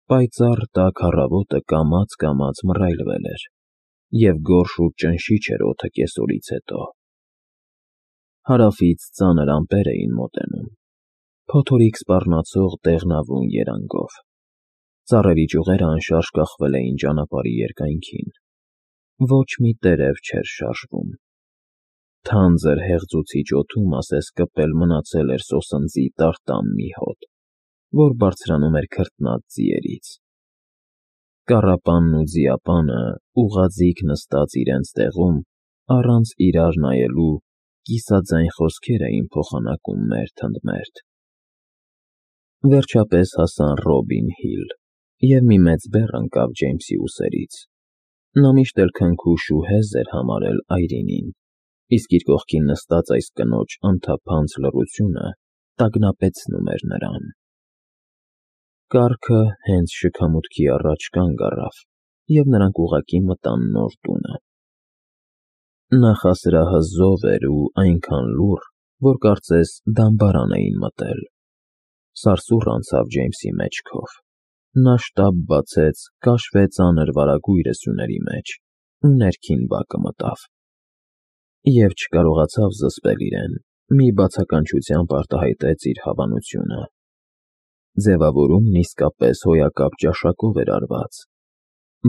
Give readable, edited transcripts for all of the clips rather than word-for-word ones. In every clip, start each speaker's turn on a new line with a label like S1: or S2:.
S1: Պայծառ տաք առավոտը կամաց մռայլվել էր, և գորշ ու ճնշիչ էր օդը կեսօրից հետո։ Հարավից ծանր ամպեր էին մոտենում, փոթորիկ սպառնացող դեղնավուն երանգով։ Ծառերի ճյուղերը անշարժ կախվել էին ճանապարհի երկայնքին։ Ոչ մի տերև չէր շարժվում։ Թանձր հեղձուցիչ օդում ասես կպել մնացել էր սոսնձի տարտամ մի հոտ, որ բարձրանում էր քրտնած ձիերից։ Կառապանն ու ձիապանը ուղղաձիգ նստած իրենց տեղում, առանց իրար նայելու, կիսաձայն խոսքեր էին փոխանակում մերթ ընդ մերթ։ Վերջապես հասան Ռոբին Հիլ, և մի մեծ բեռ ընկավ Ջեյմսի ուսերից։ Նա միշտ էլ քնքուշ ու հեզ էր համարել Այրինին, իսկ իր կողքին նստած այս կնոջ անթափանց լռությունը տագնապեցնում էր նրան։ Կառքը հենց շքամուտքի առաջ կանգ առավ, և նրանք ուղղակի մտան նոր տունը։ Նախասրահը էր ու այնքան լուռ, որ կարծես դամբարան էին մտել։ Սարսուռ անցավ Ջեյմսի մեջքով։ Նա շտապ բացեց կաշվե ծանր վարագույրը սյուների մեջ ու ներքին բակը մտավ։ Եվ չկարողացավ զսպել իրեն, մի բացականչությամբ արտահայտեց իր հավանությունը։ Ձևավորումն իսկապես հոյակապ ճաշակով էր արված։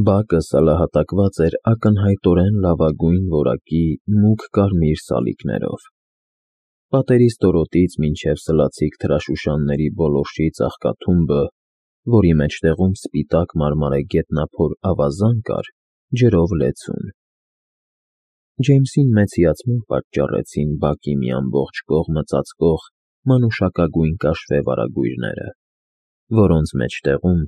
S1: Բակը սալահատակված էր ակնհայտորեն լավագույն որակի մուգ կարմիր սալիկներով։ Պատերի ստորոտից մինչև սլացիկ թրաշուշանների բոլորշի ծաղկաթումբը, որի մեջտեղում սպիտակ մարմարե գետնափոր ավազան կար, ջրով լեցուն։ Ջեյմսին մեծ հիացմունք պատճառեցին բակի մի ամբողջ կողմը ծածկող մանուշակագույն կաշվե վարագույրները, որոնց մեջտեղում,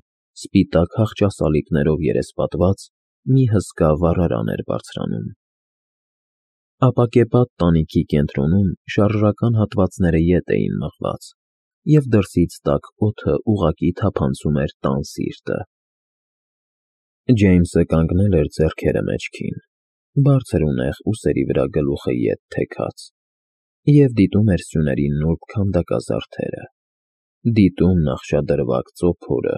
S1: սպիտակ հախճասալիկներով երեսպատված, մի հսկա վառարան էր բարձրանում։ Ապակեպատ տանիքի կենտրոնում շարժական հատվածները ետ էին մղված, և դրսից տաք օդը ուղղակի թափանցում էր տան սիրտը։ Ջեյմսը կանգնել էր ձեռքերը մեջքին, բարձր ու նեղ ուսերի վրա գլուխը ետ թեքած, և դիտում էր սյուների նուրբ քանդակազարդերը, դիտում նախշադրվակ ծոփորը,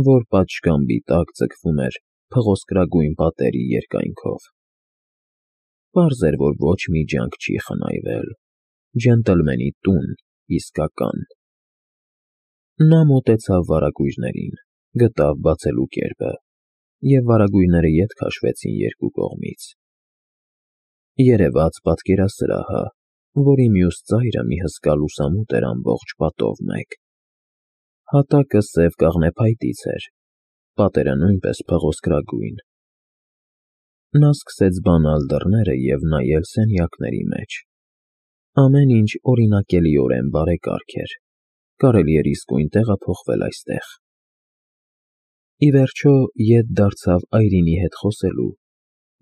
S1: որ պատշգամբի տակ ձգվում էր փղոսկրագույն պատերի երկայնքով։ Պարզ էր, որ ոչ մի ջանք չի խնայվել։ Ջենտլմենի տուն իսկական։ Նա մոտեցավ վարագույրներին, գտավ բացելու կերպը, և վարագույրները ետ քաշվեցին երկու կողմից։ Երևաց պատկերասրահը, որի մյուս ծայրը մի հսկա լուսամուտ էր ամբողջ պատով մեկ։ Հատակը սև կաղնեփայտից էր, պատերը նույնպես փղոսկրագույն։ Նա սկսեց բանալ դռները և նայել սենյակների մեջ։ Ամեն ինչ օրինակելիորեն բարեկարգ էր, կարելի էր իսկույն տեղափոխվել այստեղ։ Ի վերջո ետ դարձավ Այրինի հետ խոսելու,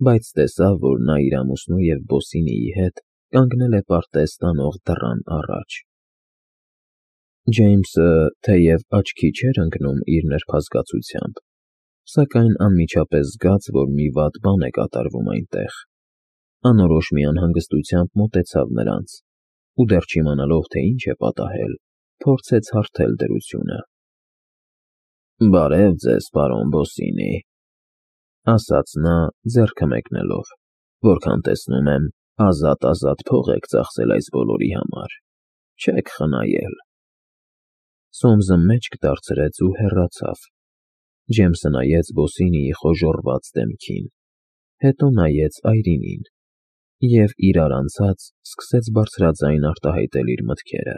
S1: բայց տեսավ, որ նա իր ամուսնու և Բոսինիի հետ կանգնել է պարտեզ տանող դռան առաջ։ Ջեյմսը թեև աչքի չէր ընկնում իր նրբազգացությամբ, սակայն անմիջապես զգաց, որ մի վատ բան է կատարվում այնտեղ։ Անորոշ մի անհանգստությամբ մոտեցավ նրանց ու, դեռ չիմանալով, թե ինչ է պատահել, փորձեց հարթել դրությունը։ «Բարև ձեզ, պարոն Բոսինի», ասաց նա, ձեռքը մեկնելով, «որքան տեսնում եմ, ազատ փող եք ծախսել այս բոլորի համար, չեք խնայել»։ Սոմսը մեջք դարձրեց ու հեռացավ։ Ջեյմսը նայեց Բոսինիի խոժոռված դեմքին, հետո նայեց Այրինին և, իրար անցած, սկսեց բարձրաձայն արտահայտել իր մտքերը։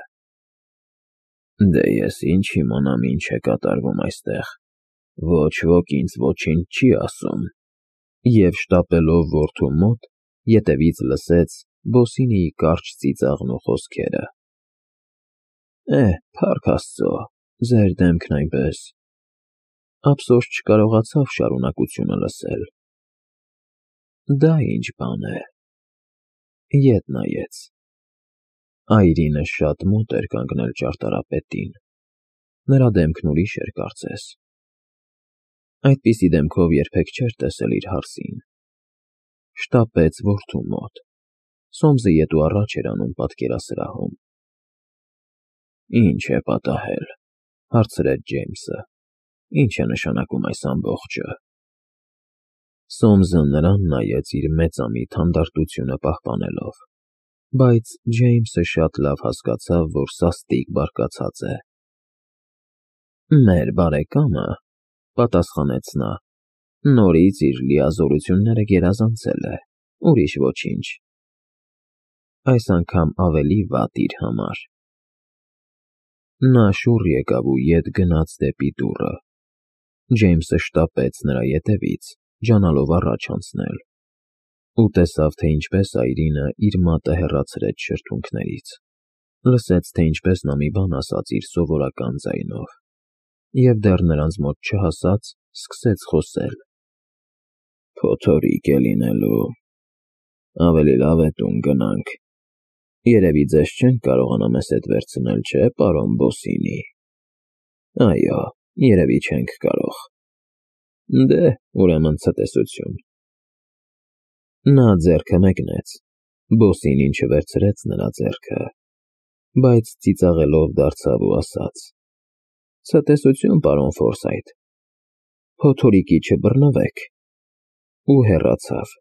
S1: «Դե ես ինչ իմանամ ինչ է կատարվում այստեղ, ոչ ոք ինձ ոչինչ չի ասում», և շտապելով որդու մոտ, ետևից լսեց Բոսինիի կարճ ծիծաղն ու խոսքերը. Փառք Աստծո, ձեր դեմքն այնպես… Ափսոս չկարողացավ շարունակությունը լսել։ Դա ինչ բան է… Ետ նայեց։ Այրինը շատ մոտ էր կանգնել ճարտարապետին։ Նրա դեմքն ուրիշ էր կարծես։ Այդպիսի դեմքով երբեք չէր տեսել իր հարսին։ Շտապեց որդու մոտ։ Սոմսը ետ ու առաջ էր անում պատկերասրահում։ «Ինչ է պատահել», հարցրեց Ջեյմսը։ Ինչ է նշանակում այս ամբողջը։ Սոմսը նրան նայեց իր մեծամիտ հանդարտությունը պահպանելով, բայց Ջեյմսը շատ լավ հասկացավ, որ սաստիկ բարկացած է։ Մեր բարեկամը, պատասխանեց նա, նորից իր լիազորությունները գերազանցել է, ուրիշ ոչինչ։ Այս անգամ ավելի վատ իր համար։ Նա շուռ եկավ ու ետ գնաց դեպի դուռը։ Ջեյմսը շտապեց նրա ետևից, ջանալով առաջ անցնել, ու տեսավ, թե ինչպես այրինը իր մատը հեռացրեց շրթունքներից, լսեց, թե ինչպես նա մի բան ասաց իր սովորական ձայնով, և դեռ նրանց մոտ չհասած, սկսեց խոսել. Փոթորիկ է լինելու, ավելի լավ է տուն գնանք, երևի ձեզ չենք կարողանա մեզ հետ վերցնել, չէ, պարոն Բոսինի։ Այո, երևի չենք կարող։ Դե, ուրեմն ցտեսություն։ Նա ձեռքը մեկնեց, Բոսինին չվերցրեց նրա ձեռքը, բայց ծիծաղելով դարձավ ու ասաց. Ցտեսություն, պարոն Ֆորսայթ, փոթորիկի չբռնվեք, ու հեռացավ։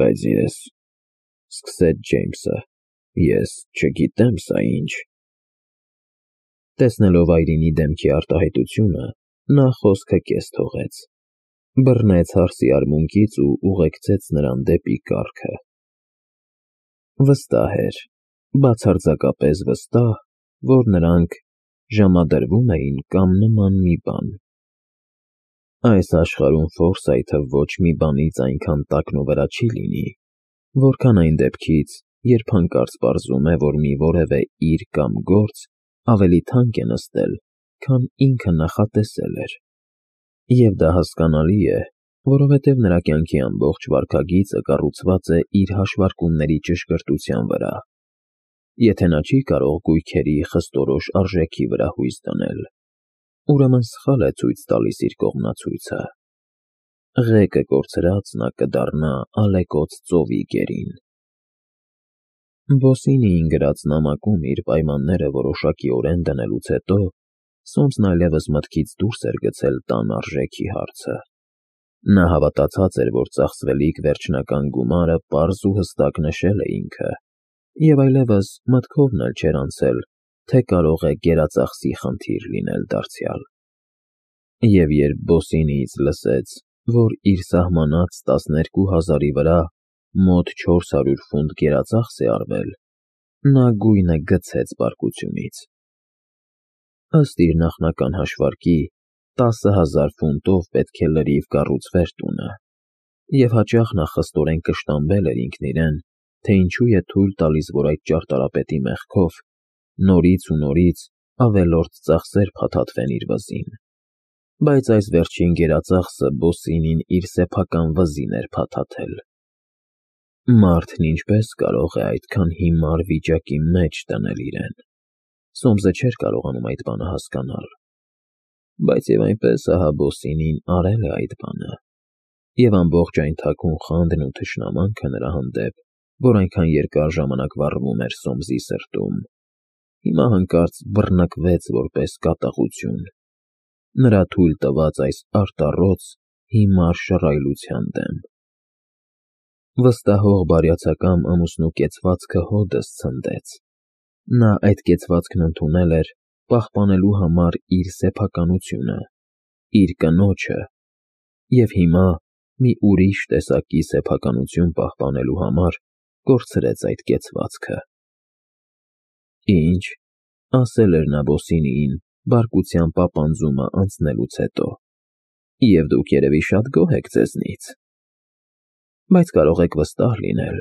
S1: Բայց ես, սկսեց Ջեյմսը, ես չգիտեմ սա ինչ։ Տեսնելով այրինի դեմքի արտահայտությունը, նա խոսքը կես թողեց, բռնեց հարսի արմունկից ու ուղեկցեց նրան դեպի կառքը։ Վստահ էր, բացարձակապես վստահ, որ նրանք ժամադրվում էին կամ նման մի բան։ Այս աշխարհում Ֆորսայթը ոչ մի բանից այնքան տակնուվրա չի լինի, որքան այն դեպքից, երբ հանկարծ պարզում է, որ մի որևէ իր կամ գործ ավելի թանկ է նստել, քան ինքը նախատեսել էր։ Եվ դա հասկանալի է, որովհետև նրա կյանքի ամբողջ վարքագիծը կառուցված է իր հաշվարկումների ճշգրտության վրա։ Եթե նա չի կարող գույքերի խստորոշ արժեքի վրա հույս դնել, ուրեմն սխալ է ցույց տալիս իր կողմնացույցը։ Ղեկը կորցրած նա կդառնա ալեկոծ ծովի գերին։ Բոսինիին գրած նամակում իր պայմանները որոշակիորեն դնելուց հետո Սոմսն այլևս մտքից դուրս էր գցել տան արժեքի հարցը։ Նա հավատացած էր, որ ծախսվելիք վերջնական գումարը պարզ ու հստակ նշել է ինքը, և այլևս մտքովն էլ չէր անցել, թե կարող է գերածախսի խնդիր լինել դարձյալ։ Եվ երբ Բոսինիից լսեց, որ իր սահմանած 12,000-ի վրա մոտ 400 ֆունտ գերածախս է արվել, նա գույնը գցեց բարկությունից։ Ըստ իր նախնական հաշվարկի, 10,000 ֆունտով պետք է լրիվ կառուցվեր տունը, և հաճախ նա խստորեն կշտամբել էր ինքն իրեն, թե ինչու է թույլ տալիս, որ այդ ճարտարապետի մեղքով նորից ու նորից ավելորդ ծախսեր փաթաթվեն իր վզին։ Բայց այս վերջին գերածախսը Բոսինին իր սեփական վզին էր փաթաթել։ Մարդն ինչպես կարող է այդքան հիմար վիճակի մեջ դնել իրեն։ Սոմսը չէր կարողանում այդ բանը հասկանալ, բայց և այնպես ահա Բոսինին արել է այդ բանը, և ամբողջ այն թաքուն խանդն ու թշնամանքը նրա հանդեպ, որ այնքան երկար ժամանակ վառվում էր Սոմսի սրտում, հիմա հանկարծ բռնկվեց որպես կատաղություն, նրա թույլ տված այս արտառոց հիմար շռայլության դեմ։ Վստահող բարյացակամ ամուսնու կեցվածքը հօդս ցնդեց։ Նա այդ կեցվածքն ընդունել էր, պահպանելու համար իր սեփականությունը, իր կնոջը, և հիմա, մի ուրիշ տեսակի սեփականություն պահպանելու համար, կորցրեց այդ կեցվածքը։ Ինչ, ասել էր նա Բոսինիին բարկության պապանձումը անցնելուց հետո, և դուք երևի շատ գոհ եք ձեզնից։ Բայց կարող եք վստահ լինել,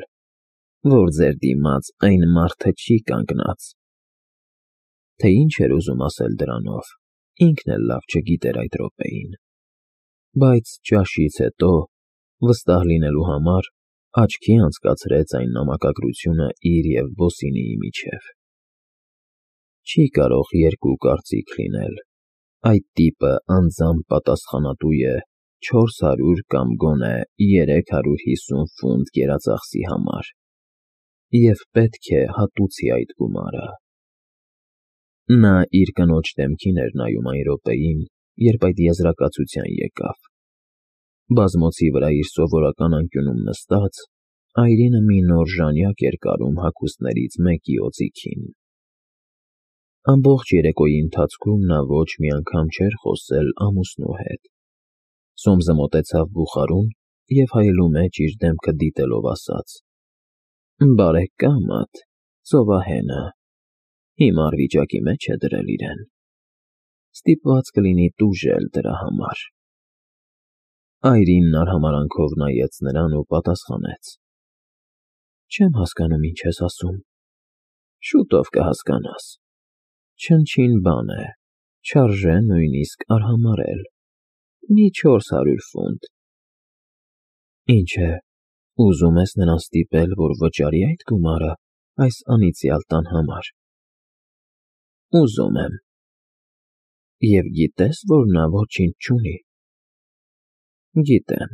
S1: որ ձեր դիմաց այն մարդը չի կանգնած։ Թե ինչ էր ուզում ասել դրանով, ինքն էլ լավ չգիտեր այդ րոպեին, բայց ճաշից հետո, վստահ լինելու համար, աչքի անցկացրեց այն նամակագրությունը իր և Բոսինիի միջև։ Չի կարող երկու կարծիք լինել, այդ տիպը անձամբ պատասխանատու է 400 կամ գոնե 350 ֆունտ գերածախսի համար, և պետք է հատուցի այդ գումարը։ Նա իր կնոջ դեմքին էր նայում այն րոպեին, երբ այդ եզրակացության եկավ։ Բազմոցի վրա իր սովորական անկյունում նստած, Այրինը մի նոր ժանյակ էր կարում հագուստներից մեկի օձիքին։ Ամբողջ երեկոյի ընթացքում նա ոչ մի անգամ չէր խոսել ամուսնու հետ։ Սոմսը մոտեցավ բուխարուն և հայելու մեջ իր դեմքը դիտելով ասաց. «Բարեկամդ, ծովահենը, հիմար վիճակի մեջ է դրել իրեն. ստիպված կլինի տուժել դրա համար»։ Այրինն արհամարհանքով նայեց նրան ու պատասխանեց. «Չեմ հասկանում, ինչ ես ասում»։ «Շուտով կհասկանաս. չնչին բան է, չարժե նույնիսկ արհամարհել, մի 400 ֆունտ»։ «Ինչ է, ուզում ես նրան ստիպել, որ վճարի այդ գումարը այս անիծյալ տան համար»։ «Ուզում եմ»։ «Եվ գիտես, որ նա ոչինչ չունի»։ «Գիտեմ»։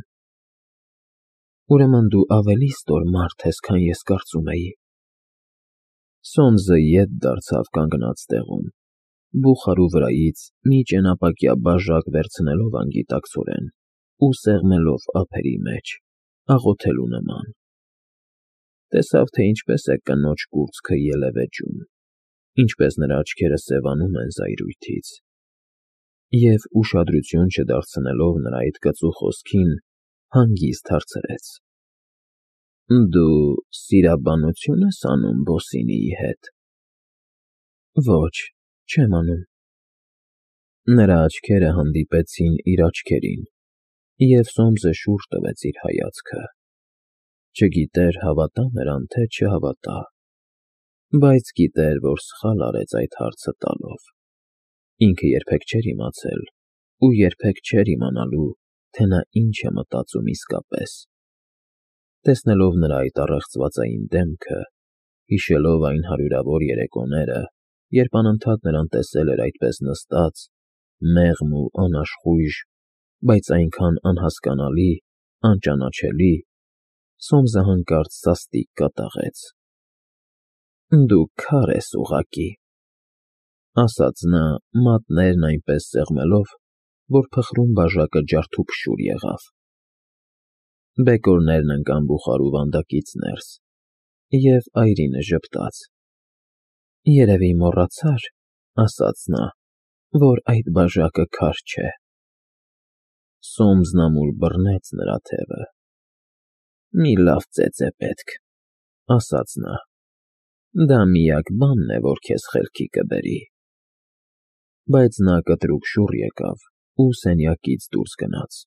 S1: «Ուրեմն դու ավելի ստոր մարդ ես, քան ես կարծում էի»։ Սոմսը ետ դարձավ կանգնած տեղում, բուխարու վրայից մի ճենապակյա բաժակ վերցնելով անգիտակցորեն ու սեղմելով ափերի մեջ, աղոթելու նման։ Տեսավ, թե ինչպես է կնոջ կուրծքը ելևէջում, ինչպես նրա աչքերը սևանում են զայրույթից, և ուշադրություն չդարձնելով նրա այդ կծու խոսքին, հանգիստ հարցրեց. «Դու սիրաբանությո՞ւն ես անում Բոսինիի հետ»։ «Ոչ, չեմ անում»։ Նրա աչքերը հանդիպեցին իր աչքերին, և Սոմսը շուրջ տվեց իր հայացքը։ Չգիտեր հավատա նրան, թե չհավատա, բայց գիտեր, որ սխալ արեց այդ հարցը տալով։ Ինքը երբեք չէր իմացել ու երբեք չէր իմանալու, թե նա ինչ է մտածում իսկապես։ Տեսնելով նրա այդ առեղծվածային դեմքը, հիշելով այն հարյուրավոր երեկոները, երբ անընդհատ նրան տեսել էր այդպես նստած, մեղմ ու անաշխույժ, բայց այնքան անհասկանալի, անճանաչելի, Սոմսը հանկարծ սաստիկ կատաղեց։ «Դու քար ես ուղղակի», ասաց նա, մատներն այնպես սեղմելով, որ փխրուն բաժակը ջարդուփշուր եղավ։ Բեկորներն ընկան բուխարու վանդակից ներս, և Այրինը ժպտաց։ «Երևի մոռացար», ասաց նա, «որ այդ բաժակը քար չէ»։ Սոմսն ամուր բռնեց նրա թևը։ «Մի լավ ծեծ է պետք», ասաց նա։ «Դա միակ բանն է, որ քեզ խելքի կբերի»։ Բայց նա կտրուկ շուռ եկավ ու սենյակից դուրս գնաց։